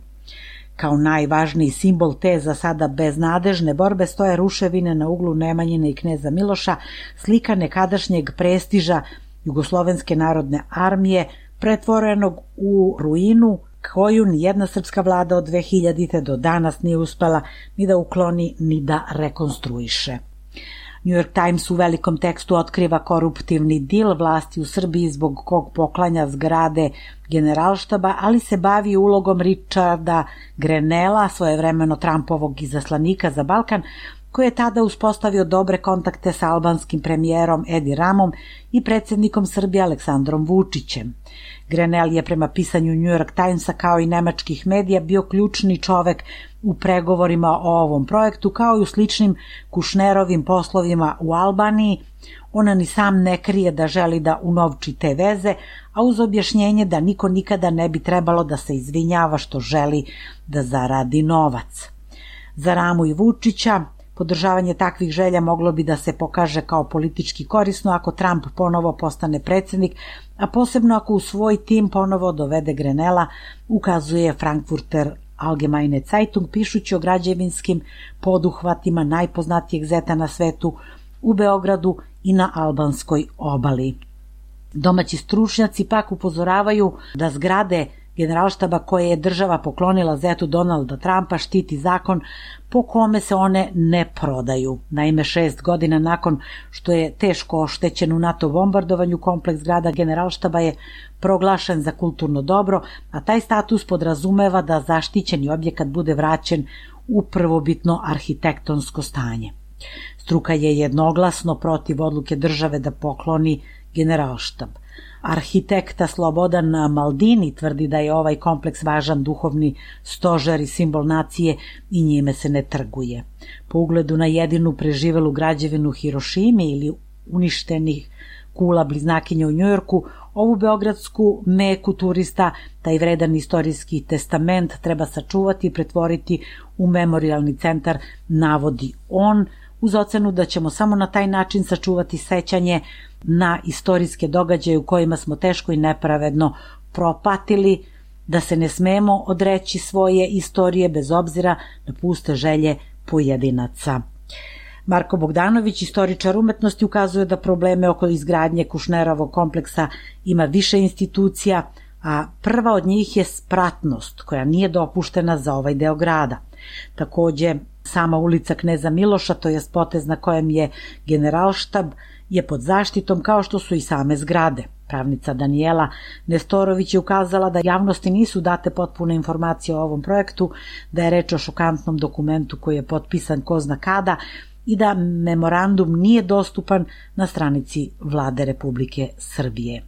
Kao najvažniji simbol te za sada beznadežne borbe stoje ruševine na uglu Nemanjine i Kneza Miloša, slika nekadašnjeg prestiža Jugoslovenske narodne armije, pretvorenog u ruinu koju nijedna srpska vlada od 2000. do danas nije uspela ni da ukloni ni da rekonstruiše. New York Times u velikom tekstu otkriva koruptivni dil vlasti u Srbiji zbog kog poklanja zgrade Generalštaba, ali se bavi ulogom Richarda Grenella, svojevremeno Trumpovog izaslanika za Balkan, koji je tada uspostavio dobre kontakte sa albanskim premijerom Edi Ramom i predsjednikom Srbije Aleksandrom Vučićem. Grenell je prema pisanju New York Timesa kao i nemačkih medija bio ključni čovek u pregovorima o ovom projektu, kao i u sličnim Kušnerovim poslovima u Albaniji. Ona ni sam ne krije da želi da unovči te veze, a uz objašnjenje da niko nikada ne bi trebalo da se izvinjava što želi da zaradi novac. Za Ramu i Vučića podržavanje takvih želja moglo bi da se pokaže kao politički korisno ako Trump ponovo postane predsjednik, a posebno ako u svoj tim ponovo dovede Grenella, ukazuje Frankfurter Allgemeine Zeitung, pišući o građevinskim poduhvatima najpoznatijeg zeta na svetu u Beogradu i na albanskoj obali. Domaći stručnjaci pak upozoravaju da zgrade Generalštaba koje je država poklonila zetu Donalda Trumpa štiti zakon po kome se one ne prodaju. Naime, 6 godina nakon što je teško oštećen u NATO bombardovanju, kompleks zgrada Generalštaba je proglašen za kulturno dobro, a taj status podrazumeva da zaštićeni objekat bude vraćen u prvobitno arhitektonsko stanje. Struka je jednoglasno protiv odluke države da pokloni Generalštab. Arhitekta Slobodan Maldini tvrdi da je ovaj kompleks važan duhovni stožer i simbol nacije i njime se ne trguje. Po ugledu na jedinu preživelu građevinu Hirošime ili uništenih kula bliznakinja u Njujorku, ovu beogradsku meku turista, taj vredan istorijski testament treba sačuvati i pretvoriti u memorijalni centar, navodi on, uz ocenu da ćemo samo na taj način sačuvati sećanje na istorijske događaje u kojima smo teško i nepravedno propatili, da se ne smemo odreći svoje istorije bez obzira na puste želje pojedinaca. Marko Bogdanović, istoričar umetnosti, ukazuje da probleme oko izgradnje Kušnerovog kompleksa ima više institucija, a prva od njih je spratnost, koja nije dopuštena za ovaj deo grada. Takođe, sama ulica Kneza Miloša, to je potez na kojem je Generalštab, je pod zaštitom kao što su i same zgrade. Pravnica Danijela Nestorović je ukazala da javnosti nisu date potpune informacije o ovom projektu, da je reč o šokantnom dokumentu koji je potpisan ko zna kada i da memorandum nije dostupan na stranici Vlade Republike Srbije.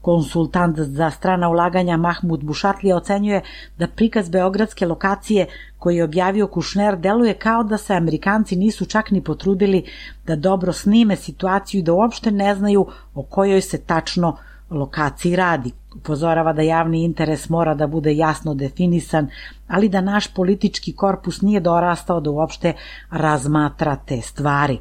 Konsultant za strana ulaganja Mahmud Bušatlija ocenjuje da prikaz beogradske lokacije koji je objavio Kušner deluje kao da se Amerikanci nisu čak ni potrudili da dobro snime situaciju i da uopšte ne znaju o kojoj se tačno lokaciji radi. Upozorava da javni interes mora da bude jasno definisan, ali da naš politički korpus nije dorastao da uopšte razmatra te stvari.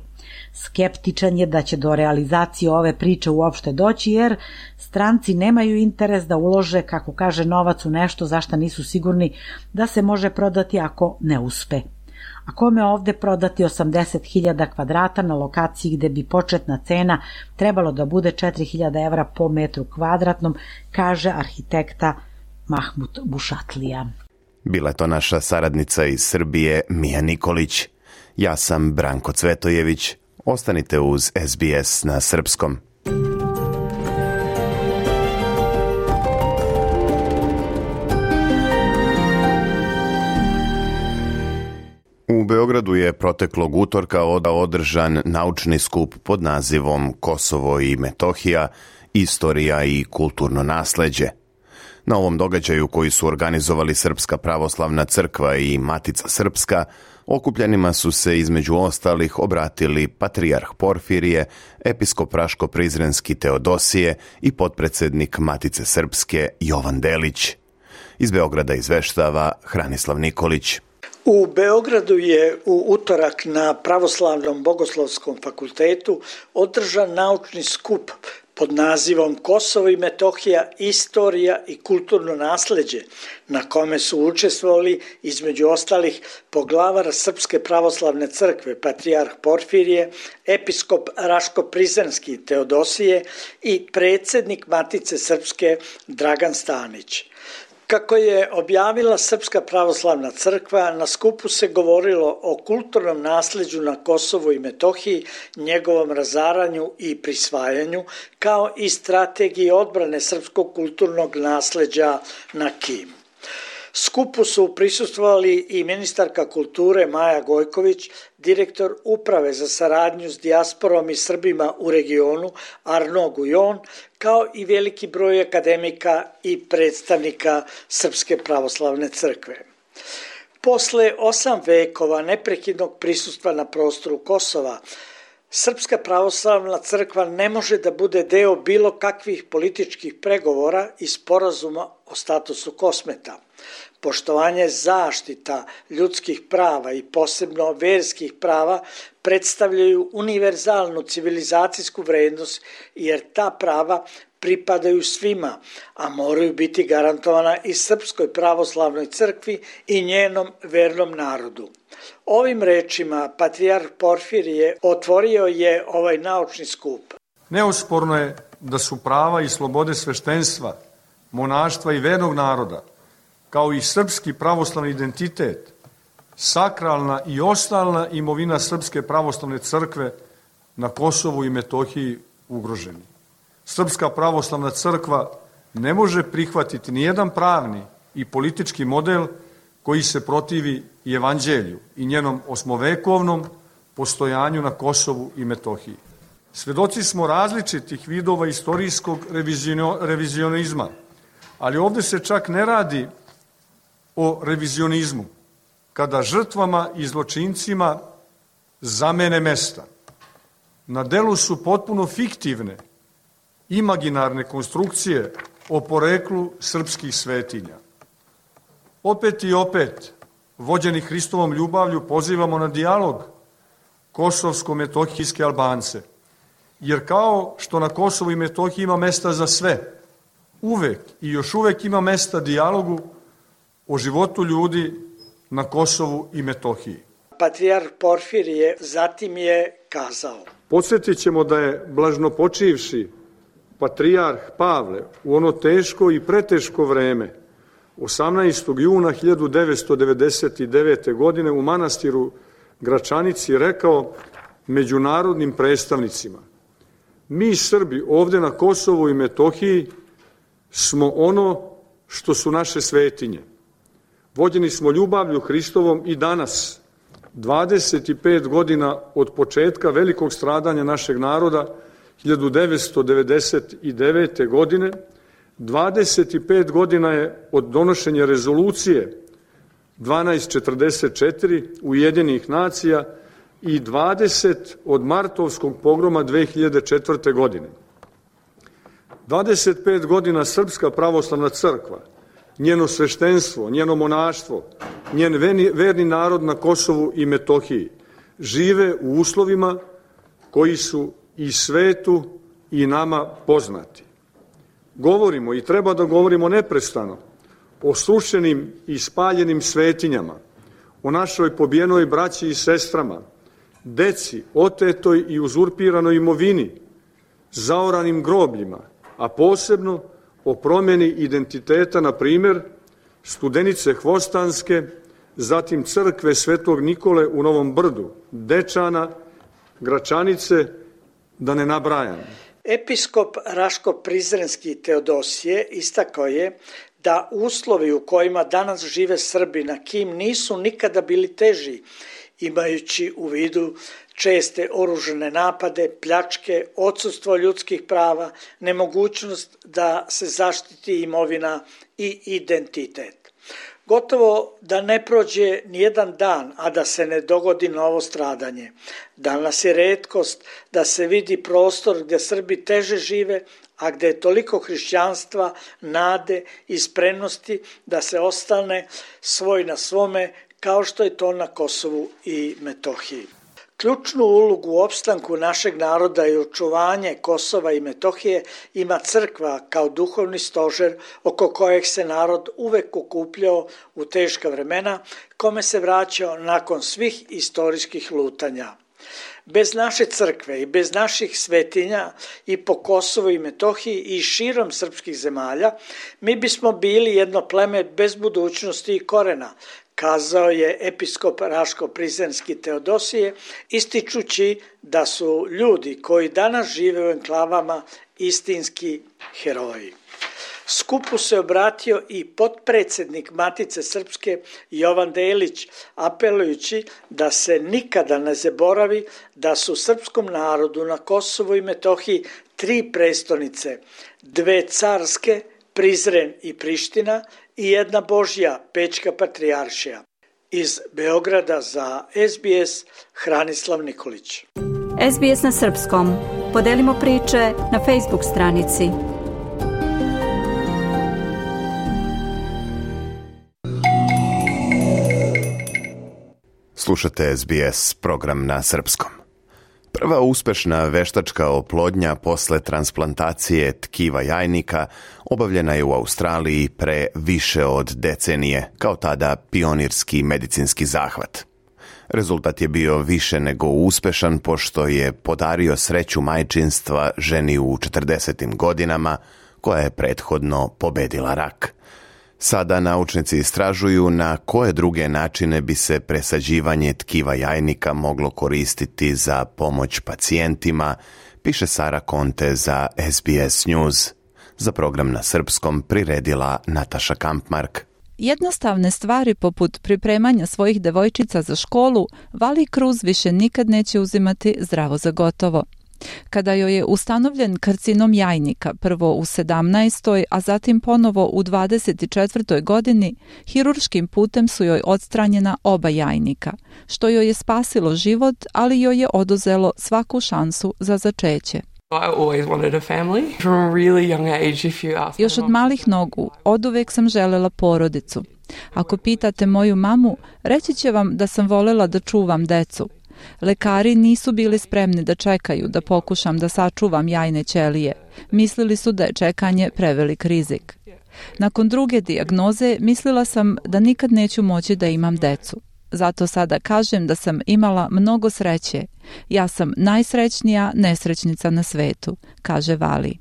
Skeptičan je da će do realizacije ove priče uopšte doći, jer stranci nemaju interes da ulože, kako kaže, novac u nešto za šta nisu sigurni da se može prodati ako ne uspe. A kome ovde prodati 80.000 kvadrata na lokaciji gde bi početna cena trebalo da bude 4.000 evra po metru kvadratnom, kaže arhitekta Mahmud Bušatlija. Bila je to naša saradnica iz Srbije, Mija Nikolić. Ja sam Branko Cvetojević. Ostanite uz SBS na srpskom. U Beogradu je proteklog utorka održan naučni skup pod nazivom Kosovo i Metohija, istorija i kulturno nasleđe. Na ovom događaju koji su organizovali Srpska pravoslavna crkva i Matica Srpska, okupljenima su se između ostalih obratili patrijarh Porfirije, episkop Raško-Prizrenski Teodosije i potpredsednik Matice Srpske Jovan Delić. Iz Beograda izveštava Hranislav Nikolić. U Beogradu je u utorak na Pravoslavnom bogoslovskom fakultetu održan naučni skup pod nazivom Kosovo i Metohija, istorija i kulturno nasleđe, na kome su učestvovali između ostalih poglavar Srpske pravoslavne crkve, patrijarh Porfirije, episkop Raško-Prizrenski Teodosije i predsednik Matice Srpske Dragan Stanić. Kako je objavila Srpska pravoslavna crkva, na skupu se govorilo o kulturnom nasleđu na Kosovu i Metohiji, njegovom razaranju i prisvajanju, kao i strategiji odbrane srpskog kulturnog nasleđa na KiM. Skupu su prisustvovali i ministarka kulture Maja Gojković, direktor Uprave za saradnju s dijasporom i Srbima u regionu Arno Gujon, kao i veliki broj akademika i predstavnika Srpske pravoslavne crkve. Posle 8 vekova neprekidnog prisustva na prostoru Kosova, Srpska pravoslavna crkva ne može da bude deo bilo kakvih političkih pregovora i sporazuma o statusu Kosmeta. Poštovanje zaštita ljudskih prava i posebno verskih prava predstavljaju univerzalnu civilizacijsku vrednost, jer ta prava pripadaju svima, a moraju biti garantovana i Srpskoj pravoslavnoj crkvi i njenom vernom narodu. Ovim rečima patrijarh Porfirije otvorio je ovaj naučni skup. Neosporno je da su prava i slobode sveštenstva, monaštva i vernog naroda, kao i srpski pravoslavni identitet, sakralna i ostalna imovina Srpske pravoslavne crkve na Kosovu i Metohiji ugroženi. Srpska pravoslavna crkva ne može prihvatiti nijedan pravni i politički model koji se protivi i evanđelju i njenom osmovekovnom postojanju na Kosovu i Metohiji. Svedoci smo različitih vidova istorijskog revizionizma, ali ovde se čak ne radi o revizionizmu, kada žrtvama i zločincima zamene mesta. Na delu su potpuno fiktivne, imaginarne konstrukcije o poreklu srpskih svetinja. Opet i opet, vođeni Hristovom ljubavlju, pozivamo na dijalog kosovsko-metohijske Albance, jer kao što na Kosovu i Metohiji ima mesta za sve, uvek i još uvek ima mesta dijalogu o životu ljudi na Kosovu i Metohiji. Patrijarh Porfirije zatim je kazao: Podsjetit ćemo da je blažnopočivši patrijarh Pavle u ono teško i preteško vreme 18. juna 1999. godine u manastiru Gračanici rekao međunarodnim predstavnicima: mi Srbi ovde na Kosovu i Metohiji smo ono što su naše svetinje. Vođeni smo ljubavlju Hristovom i danas, 25 godina od početka velikog stradanja našeg naroda, 1999. godine, 25 godina je od donošenja rezolucije 1244 Ujedinjenih nacija i 20 od martovskog pogroma 2004. godine. 25 godina Srpska pravoslavna crkva, njeno sveštenstvo, njeno monaštvo, njen verni narod na Kosovu i Metohiji žive u uslovima koji su i svetu i nama poznati. Govorimo i treba da govorimo neprestano o srušenim i spaljenim svetinjama, o našoj pobijenoj braći i sestrama, deci, otetoj i uzurpiranoj imovini, zaoranim grobljima, a posebno o promjeni identiteta, na primjer, Studenice Hvostanske, zatim crkve Svetog Nikole u Novom Brdu, Dečana, Gračanice, da ne nabrajam. Episkop Raško-Prizrenski Teodosije istakao je da uslovi u kojima danas žive Srbi na Kim nisu nikada bili teži, imajući u vidu česte oružane napade, pljačke, odsustvo ljudskih prava, nemogućnost da se zaštiti imovina i identitet. Gotovo da ne prođe nijedan dan, a da se ne dogodi novo stradanje. Danas je retkost da se vidi prostor gdje Srbi teže žive, a gdje je toliko hrišćanstva, nade i spremnosti da se ostane svoj na svome, kao što je to na Kosovu i Metohiji. Ključnu ulogu u opstanku našeg naroda i očuvanje Kosova i Metohije ima crkva kao duhovni stožer oko kojeg se narod uvek okupljao u teška vremena, kome se vraćao nakon svih istorijskih lutanja. Bez naše crkve i bez naših svetinja i po Kosovu i Metohiji i širom srpskih zemalja, mi bismo bili jedno pleme bez budućnosti i korena, kazao je episkop Raško-Prizrenski Teodosije, ističući da su ljudi koji danas žive u enklavama istinski heroji. Skupu se obratio i potpredsjednik Matice Srpske Jovan Delić, apelujući da se nikada ne zaboravi da su srpskom narodu na Kosovu i Metohiji 3 prestonice, 2 carske, Prizren i Priština, i jedna Božja, Pećka patrijaršija. Iz Beograda za SBS, Hranislav Nikolić. SBS na srpskom. Podelimo priče na Facebook stranici. Slušate SBS, program na srpskom. Prva uspešna veštačka oplodnja posle transplantacije tkiva jajnika obavljena je u Australiji pre više od decenije, kao tada pionirski medicinski zahvat. Rezultat je bio više nego uspešan, pošto je podario sreću majčinstva ženi u 40. godinama, koja je prethodno pobedila rak. Sada naučnici istražuju na koje druge načine bi se presađivanje tkiva jajnika moglo koristiti za pomoć pacijentima, piše Sara Conte za SBS News. Za program na srpskom priredila Nataša Kampmark. Jednostavne stvari poput pripremanja svojih devojčica za školu Vali Cruz više nikad neće uzimati zdravo za gotovo. Kada joj je ustanovljen karcinom jajnika, prvo u 17. a zatim ponovo u 24. godini, hirurškim putem su joj odstranjena oba jajnika, što joj je spasilo život, ali joj je oduzelo svaku šansu za začeće. Još od malih nogu, oduvek sam želela porodicu. Ako pitate moju mamu, reći će vam da sam volela da čuvam decu. Lekari nisu bili spremni da čekaju da pokušam da sačuvam jajne ćelije. Mislili su da je čekanje prevelik rizik. Nakon druge dijagnoze mislila sam da nikad neću moći da imam decu. Zato sada kažem da sam imala mnogo sreće. Ja sam najsrećnija nesrećnica na svetu, kaže Vali.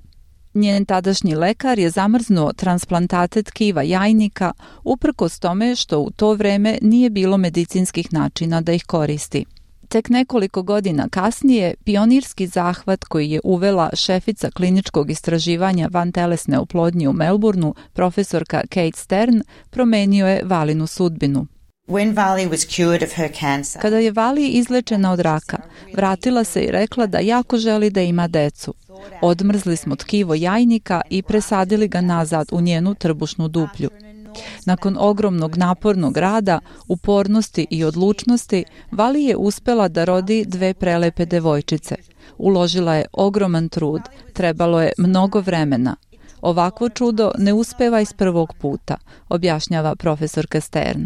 Njen tadašnji lekar je zamrznuo transplantate tkiva jajnika uprkos tome što u to vreme nije bilo medicinskih načina da ih koristi. Tek nekoliko godina kasnije, pionirski zahvat koji je uvela šefica kliničkog istraživanja vantelesne oplodnje u Melbourneu, profesorka Kate Stern, promenio je Valinu sudbinu. Kada je Vali izlečena od raka, vratila se i rekla da jako želi da ima decu. Odmrzli smo tkivo jajnika i presadili ga nazad u njenu trbušnu duplju. Nakon ogromnog napornog rada, upornosti i odlučnosti, Vali je uspela da rodi 2 prelepe devojčice. Uložila je ogroman trud, trebalo je mnogo vremena. Ovakvo čudo ne uspeva iz prvog puta, objašnjava profesorka Stern.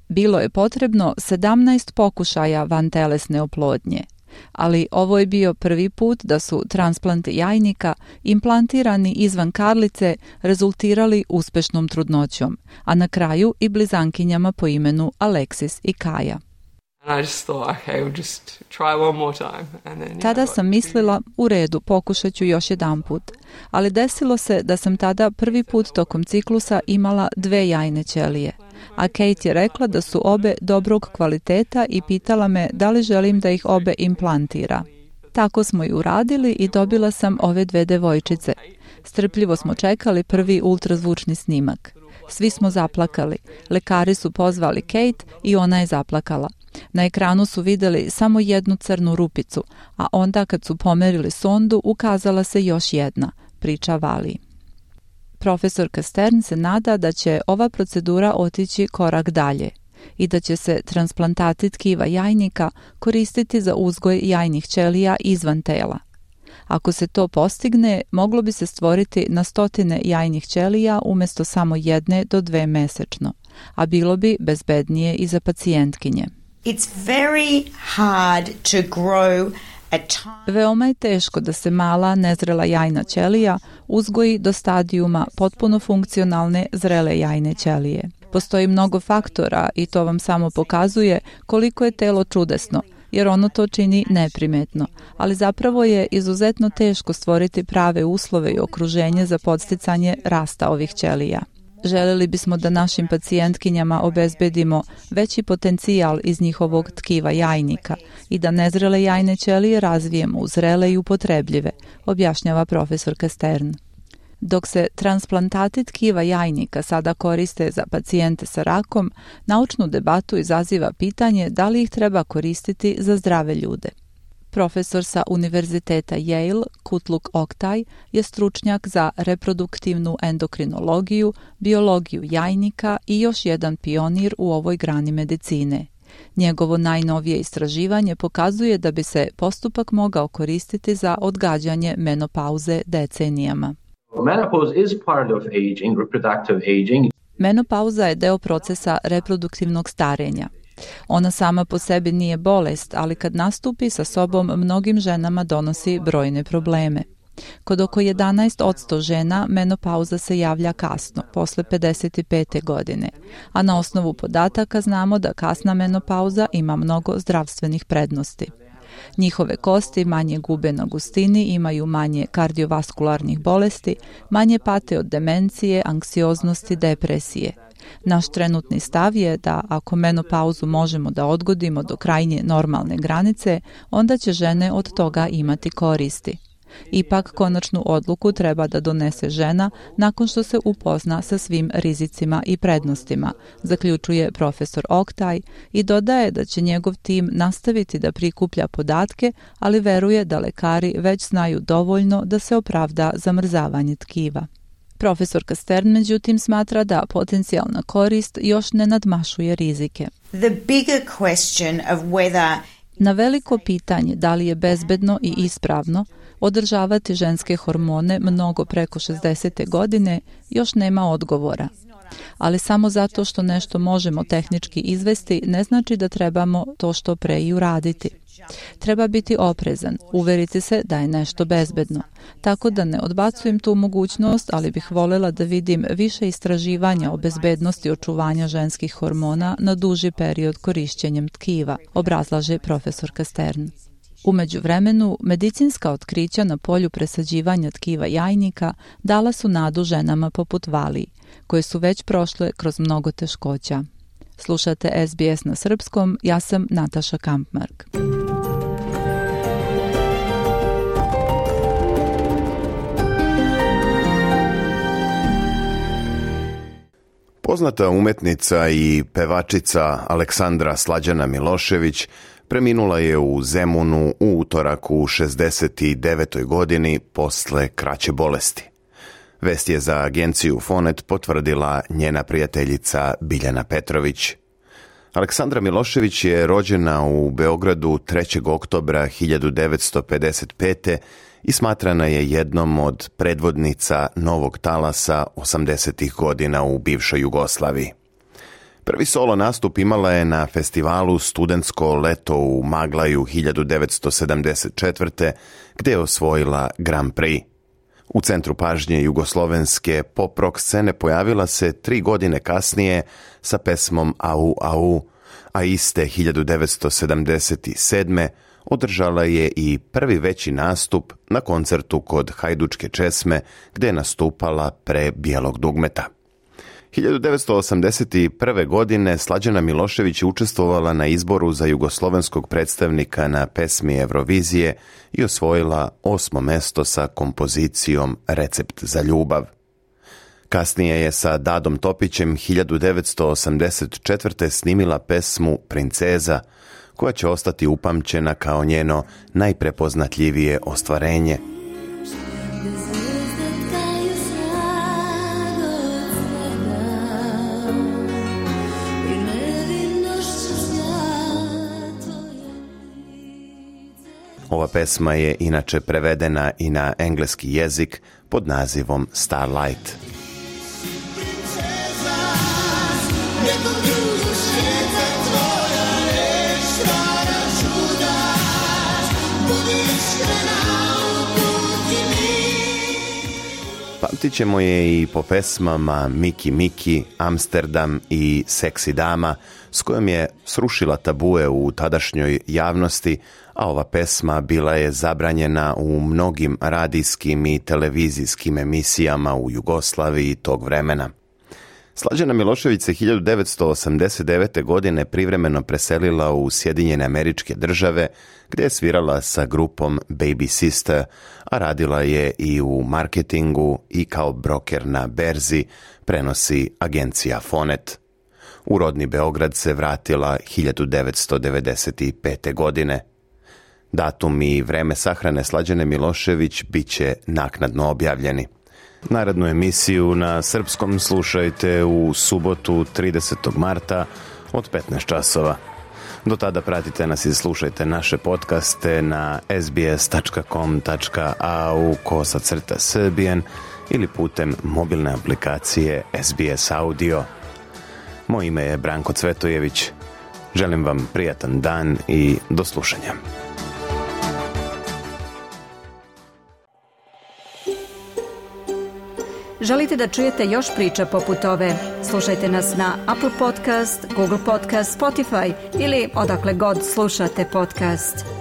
Bilo je potrebno 17 pokušaja vantelesne oplodnje, ali ovo je bio prvi put da su transplanti jajnika implantirani izvan karlice rezultirali uspešnom trudnoćom, a na kraju i blizankinjama po imenu Alexis i Kaja. Tada sam mislila, u redu, pokušat ću još jedan put, ali desilo se da sam tada prvi put tokom ciklusa imala 2 jajne ćelije, a Kate je rekla da su obe dobrog kvaliteta i pitala me da li želim da ih obe implantira. Tako smo i uradili i dobila sam ove 2 devojčice. Strpljivo smo čekali prvi ultrazvučni snimak. Svi smo zaplakali. Lekari su pozvali Kate i ona je zaplakala. Na ekranu su vidjeli samo jednu crnu rupicu, a onda kad su pomerili sondu ukazala se još jedna, priča Vali. Profesorka Stern se nada da će ova procedura otići korak dalje i da će se transplantati tkiva jajnika koristiti za uzgoj jajnih ćelija izvan tela. Ako se to postigne, moglo bi se stvoriti na stotine jajnih ćelija umjesto samo 1 do 2 mesečno, a bilo bi bezbednije i za pacijentkinje. Veoma je teško da se mala, nezrela jajna ćelija uzgoji do stadijuma potpuno funkcionalne zrele jajne ćelije. Postoji mnogo faktora i to vam samo pokazuje koliko je telo čudesno, jer ono to čini neprimetno, ali zapravo je izuzetno teško stvoriti prave uslove i okruženje za podsticanje rasta ovih ćelija. Želeli bismo da našim pacijentkinjama obezbedimo veći potencijal iz njihovog tkiva jajnika i da nezrele jajne ćelije razvijemo u zrele i upotrebljive, objašnjava profesorka Stern. Dok se transplantati tkiva jajnika sada koriste za pacijente sa rakom, naučnu debatu izaziva pitanje da li ih treba koristiti za zdrave ljude. Profesor sa Univerziteta Yale, Kutluk Oktaj, je stručnjak za reproduktivnu endokrinologiju, biologiju jajnika i još jedan pionir u ovoj grani medicine. Njegovo najnovije istraživanje pokazuje da bi se postupak mogao koristiti za odgađanje menopauze decenijama. Menopauza je deo procesa reproduktivnog starenja. Ona sama po sebi nije bolest, ali kad nastupi sa sobom mnogim ženama donosi brojne probleme. Kod oko 11% žena menopauza se javlja kasno, posle 55. godine, a na osnovu podataka znamo da kasna menopauza ima mnogo zdravstvenih prednosti. Njihove kosti manje gube na gustini, imaju manje kardiovaskularnih bolesti, manje pate od demencije, anksioznosti, depresije. Naš trenutni stav je da ako menopauzu možemo da odgodimo do krajnje normalne granice, onda će žene od toga imati koristi. Ipak konačnu odluku treba da donese žena nakon što se upozna sa svim rizicima i prednostima, zaključuje profesor Oktaj i dodaje da će njegov tim nastaviti da prikuplja podatke, ali veruje da lekari već znaju dovoljno da se opravda zamrzavanje tkiva. Profesorka Stern međutim smatra da potencijalna korist još ne nadmašuje rizike. Na veliko pitanje da li je bezbedno i ispravno održavati ženske hormone mnogo preko 60. godine još nema odgovora. Ali samo zato što nešto možemo tehnički izvesti ne znači da trebamo to što pre i uraditi. Treba biti oprezan, uveriti se da je nešto bezbedno. Tako da ne odbacujem tu mogućnost, ali bih voljela da vidim više istraživanja o bezbednosti očuvanja ženskih hormona na duži period korišćenjem tkiva, obrazlaže profesorka Stern. U međuvremenu, medicinska otkrića na polju presađivanja tkiva jajnika dala su nadu ženama poput Valiji, koje su već prošle kroz mnogo teškoća. Slušate SBS na srpskom, ja sam Nataša Kampmark. Poznata umetnica i pevačica Aleksandra Slađana Milošević preminula je u Zemunu u utorak u 69. godini posle kraće bolesti. Vest je za agenciju Fonet potvrdila njena prijateljica Biljana Petrović. Aleksandra Milošević je rođena u Beogradu 3. oktobra 1955. i smatrana je jednom od predvodnica novog talasa 80. godina u bivšoj Jugoslaviji. Prvi solo nastup imala je na festivalu Studentsko leto u Maglaju 1974. gde je osvojila Grand Prix. U centru pažnje jugoslovenske pop-rock scene pojavila se 3 godine kasnije sa pesmom Au Au, a iste 1977. održala je i prvi veći nastup na koncertu kod Hajdučke česme gde je nastupala pre Bijelog dugmeta. 1981. godine Slađana Milošević je učestvovala na izboru za jugoslovenskog predstavnika na pesmi Eurovizije i osvojila 8. mesto sa kompozicijom Recept za ljubav. Kasnije je sa Dadom Topićem 1984. snimila pesmu Princeza, koja će ostati upamćena kao njeno najprepoznatljivije ostvarenje. Ova pesma je inače prevedena i na engleski jezik pod nazivom Starlight. Pamtit ćemo je i po pesmama Miki Miki, Amsterdam i Seksi dama, s kojom je srušila tabue u tadašnjoj javnosti, a ova pesma bila je zabranjena u mnogim radijskim i televizijskim emisijama u Jugoslaviji tog vremena. Slađana Milošević se 1989. godine privremeno preselila u Sjedinjene Američke Države, gdje je svirala sa grupom Baby Sister, a radila je i u marketingu i kao broker na berzi, prenosi agencija Fonet. U rodni Beograd se vratila 1995. godine. Datum i vreme sahrane Slađane Milošević bit će naknadno objavljeni. Narednu emisiju na srpskom slušajte u subotu 30. marta od 15 časova. Do tada pratite nas i slušajte naše podcaste na sbs.com.au/Serbian ili putem mobilne aplikacije SBS Audio. Moje ime je Branko Cvetojević. Želim vam prijatan dan i do slušanja. Želite da čujete još priča poput ove? Slušajte nas na Apple Podcast, Google Podcast, Spotify ili odakle god slušate podcast.